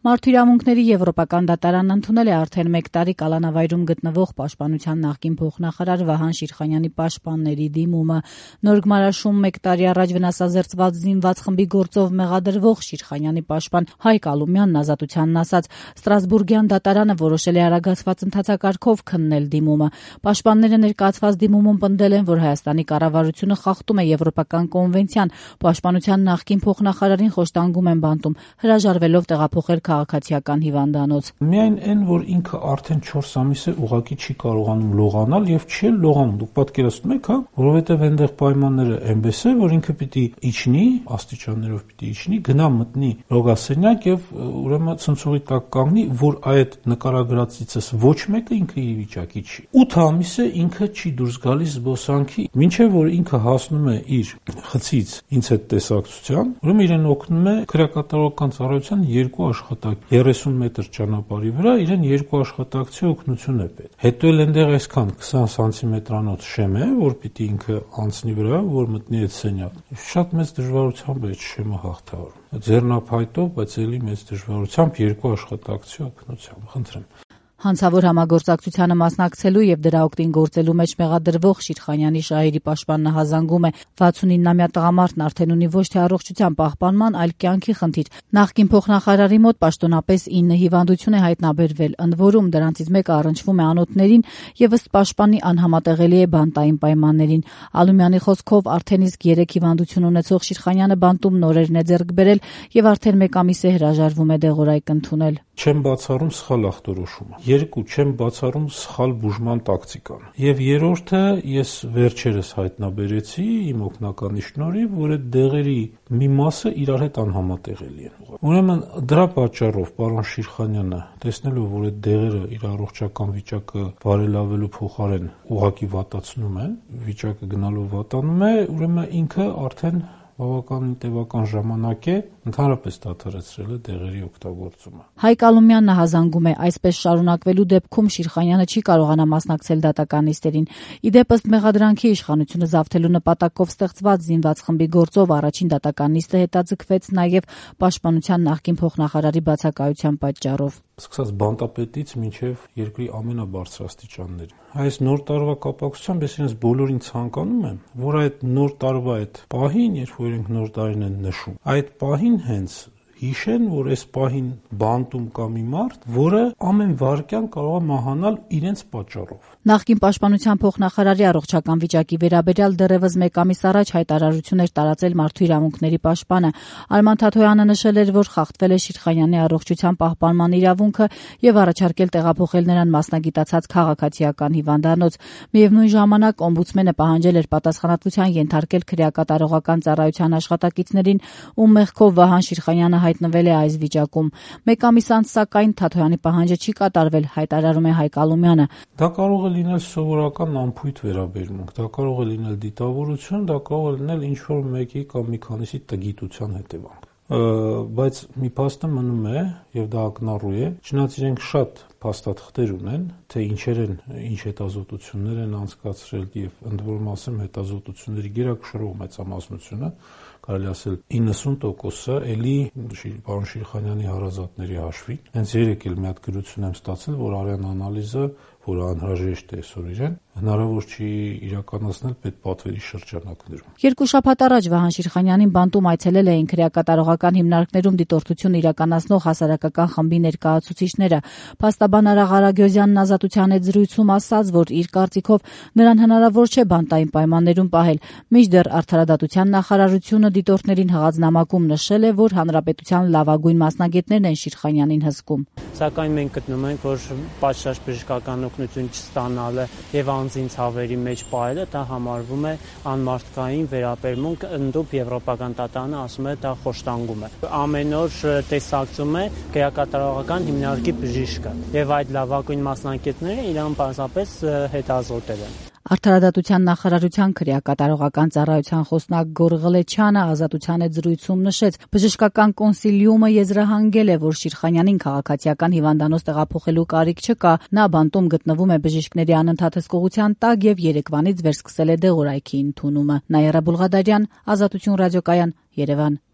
Մարդու իրավունքների Եվրոպական դատարանն ընդունել է արդեն 1 տարի կալանավայրում գտնվող Պաշտպանության նախկին փոխնախարար Վահան Շիրխանյանի պաշտպանների դիմումը։ Նոր գմարաշում 1 տարի առաջ վնասազերծված զինված խմբի գործով մեղադրվող Շիրխանյանի պաշտպան Հայկ Ալումյանն ազատությանն ասաց, Ստրասբուրգյան դատարանը որոշել է արագացված ընթացակարգով քննել դիմումը։ Պաշտպանները ներկայացված դիմումում պնդել են, որ Հայաստանի կառավարությունը խախտում է Եվրոպական կոնվենցիան, Պաշտպանության նախկին փոխնախարարին խոշտանգում են բանտում, հրաժարվելով տեղափոխել քաղաքացիական հիվանդանոց։ Միայն այն, որ ինքը արդեն 4 ամիս է ուղղակի չի կարողանում լողանալ եւ չի լողանում։ Դուք պատկերացնում եք, որովհետեւ այնտեղ պայմանները այնպես է, որ ինքը պիտի իջնի, աստիճաններով պիտի իջնի, գնա մտնի ռոգասենյակ եւ ուրեմն ցնցողի տակ կանգնի, որ այդ նկարագրածիցս ոչ մեկը ինքը իր վիճակի չի։ 8 ամիս է ինքը չի դուրս գալիս զբոսանքի, մինչեւ որ ինքը հասնում է իր խցից ինձ հետ տեսակցության, ուրեմն իրեն օգնում է քրեակատարողական ծառայության 2 աշխատակ 30 մետր ճանապարհի վրա իրեն 2 աշխատակցի օգնություն է պետք։ Հետո էլ այնտեղ այսքան 20 սանտիմետրանոց շեմ է, որ պիտի ինքը անցնի վրա, որ մտնի այդ սենյակ։ Շատ մեծ դժվարությամբ այդ շեմը հաղթահարում։ Ձեռնափայտով, բայց էլի մեծ դժվարությամբ 2 աշխատակցի օգնությամբ։ Խնդրեմ։ Հանցավոր համագործակցությանը մասնակցելու եւ դրա օգտին գործելու մեջ մեղադրվող Շիրխանյանի շահերի պաշտպանն հազանգում է 69-ամյա տղամարդն արդեն ունի ոչ թե առողջության պահպանման, այլ կյանքի խնդիր։ Նախկին փոխնախարարի մոտ պաշտոնապես 9 հիվանդություն է հայտնաբերվել, ընդ որում դրանցից մեկը առնչվում է անոթներին եւ ըստ պաշտպանի անհամատեղելի է բանտային պայմաններին։ Ալումյանի խոսքով արդեն իսկ 3 հիվանդություն ունեցող Շիրխանյանը բանտում նորերն է ձեռք բերել եւ արդեն 1 ամիս է հրաժարվում է դեղորայք ընդունել։ Չեմ բացառում սխալ ախտորոշումը։ 2 չեմ բացառում սխալ բուժման տակտիկան։ Եվ երրորդը ես վերջերս հայտնաբերեցի իմ օգնականի շնորհիվ, որ այդ դեղերի մի մասը իրար հետ անհամատեղելի են։ Ուրեմն դրա պատճառով պարոն Շիրխանյանը, տեսնելով, որ այդ դեղերը իր առողջական վիճակը բարելավելու փոխարեն ուղղակի վատացնում են, վիճակը գնալով վատանում է, ուրեմն ինքը արդեն բավականին տևական ժամանակ է ընդհանրապես դադարեցրել է դեղերի օգտագործումը։ Հայկ Ալումյանն հազանգում է, այսպես շարունակվելու դեպքում Շիրխանյանը չի կարողանա մասնակցել դատական նիստերին։ Իդեպ ըստ մեղադրանքի իշխանությունը զավթելու նպատակով ստեղծված զինված խմբի գործով առաջին դատական նիստը հետաձգվեց նաև Պաշտպանության նախկին փոխնախարարի բացակայության պատճառով։ Սկսած բանտապետից մինչև երկրի ամենաբարձրաստիճանների։ Այս նոր տարվա կապակցությամբ ես իրենց բոլորին ցանկանում եմ, որ այդ նոր տարվա այդ պահին, երբ որ իրենք նոր տարին են նշում, այդ պահին հենց հիշեն, որ այս պահին բանտում կա մի մարդ, որը ամեն վայրկյան կարող է մահանալ իրենց պատճառով։ Նախկին Պաշտպանության փոխնախարարի առողջական վիճակի վերաբերյալ դեռևս 1 ամիս առաջ հայտարարություն էր տարածել Մարդու իրավունքների պաշտպանը։ Արման Թաթոյանը նշել էր, որ խախտվել է Շիրխանյանի առողջության պահպանման իրավունքը եւ առաջարկել տեղափոխել նրան մասնագիտացած քաղաքացիական հիվանդանոց։ Միևնույն ժամանակ օմբուդսմենը պահանջել էր պատասխանատվության ենթարկել քրեակատարողական ծառայության աշխատակիցներին, ում մեղքով Վահան Շիրխանյանը հայտնվել է այս վիճակում։ 1 ամիս անց սակայն Թաթոյանի պահանջը չի կատարվել, հայտարարում է Հայկ Ալումյանը։ Դա կարող է լինել սովորական անփույթ վերաբերմունք, դա կարող է լինել դիտավորություն, դա կարող է լինել ինչ-որ մեկի կամ մի քանիսի տգիտության հետևանք։ Բայց մի փաստը մնում է, եւ դա ակնառու է, չնայած իրենք շատ փաստաթղթեր ունեն, թե ինչ հետազոտություններ են անցկացրել եւ ընդ որում ասեմ հետազոտությունների գերակշռող մեծամասնությունը, կարելի ասել 90%-ը էլի պարոն Շիրխանյանի հարազատների հաշվին։ Հենց երեկ էլ մի հատ գրություն եմ ստացել, որ արյան անալիզը, որը անհրաժեշտ է այսօր իրեն, հնարավոր չի իրականացնել պետպատվերի շրջանակներում։ 2 շաբաթ առաջ Վահան Շիրխանյանին բանտում այցելել էին քրեակատարողական հիմնարկներում դիտորդություն իրականացնող հասարակական խմբի ներկայացուցիչները։ Փաստաբան Արա Ղարագյոզյանն Ազատության հետ զրույցում ասաց, որ իր կարծիքով նրան հնարավոր չէ բանտային պայմաններում պահել։ Մինչդեռ Արդարադատության նախարարությունը դիտորդներին հղած նամակում նշել է, որ հանրապետության լավագույն մասնագետներն են Շիրխանյանին հսկում։ Սակայն մենք գտնում ենք, որ պատշաճ բժշկական օգնություն չստանալը եւ անձին ցավերի մեջ պահելը դա համարվում է անմարդկային վերաբերմունք, ընդդուպ Եվրոպական դատարանը ասում է դա խոշտանգում է։ Ամեն օր տեսակցում է քրեակատարողական հիմնարկի բժիշկը եւ այդ լավագույն մասնագետները իրան պարզապես հետազոտել են։ Արդարադատության նախարարության քրեակատարողական ծառայության խոսնակ Գոր Ղլեչյանը Ազատության հետ զրույցում նշեց, բժշկական կոնսիլիումը եզրահանգել է, որ Շիրխանյանին քաղաքացիական հիվանդանոց տեղափոխելու կարիք չկա։ Նա բանտում գտնվում է բժիշկների անընդհատ հսկողության տակ եւ երեկվանից վերսկսել է դեղորայքի ընդունումը։ Նաիրա Բուլղադարյան, Ազատություն ռադիոկայան, Երևան։